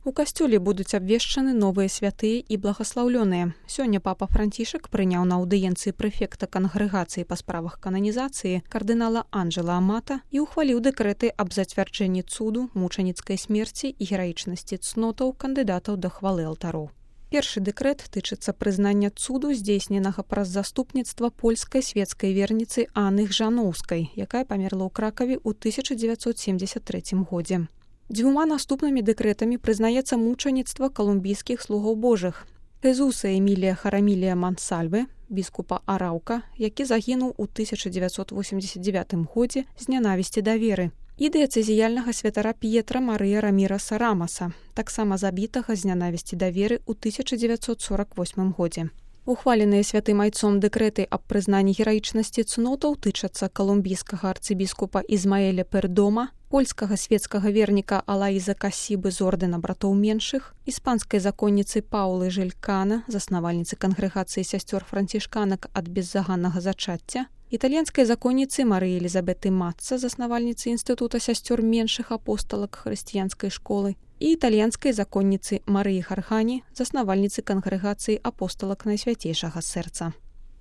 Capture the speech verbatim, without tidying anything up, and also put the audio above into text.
У касцёле будуць абвешчаны новыя святыя і благаслаўлёныя. Сёння папа Францішак прыняў на аўдыенцыі прэфекта кангрэгацыі па справах кананізацыі кардынала Анджела Амата і ухваліў дэкрэты аб зацвярджэнні цуду, мучаніцкай смерці і гераічнасці цнотаў кандыдатаў да хвалы алтароў. Першы дэкрэт тычыцца прызнання цуду, здзейсненага праз заступніцтва польскай свецкай верніцы Анны Гжаноўскай, якая памерла ў Кракаве ў тысяча дзевяцьсот семдзесят трэцім годзе. Дзвюма наступнымі дэкрэтамі прызнаецца мучаніцтва калумбійскіх слугоў божых. Хезуса Эмілія Харамілія Мансальве, біскупа Араўка, які загінуў у тысяча дзевяцьсот восемдзесят дзевятым годзе з нянавісці да веры. І дыяцэзіяльнага святара П'етра Марыя Раміраса Рамаса, таксама забітага з нянавісці да веры ў тысяча дзевяцьсот сорак восьмым годзе. Ухваленыя святым айцом дэкрэты аб прызнанні гераічнасці цнотаў тычацца калумбійскага арцыбіскупа Ізмаэля Пердома, польскага свецкага верніка Алаіза Касібы з ордэна братоў меншых, іспанскай законніцы Паулы Жэлькана, заснавальніцы кангрэгацыі сясцёр францішканак ад беззаганнага зачацця, італьянскай законніцы Марыі Елізабеты Матца, заснавальніцы інстытута сясцёр меншых апосталак хрысціянскай школы, і італьянскай законніцы Марыі Хархані, заснавальніцы кангрэгацыі апосталак Найсвяцейшага сэрца.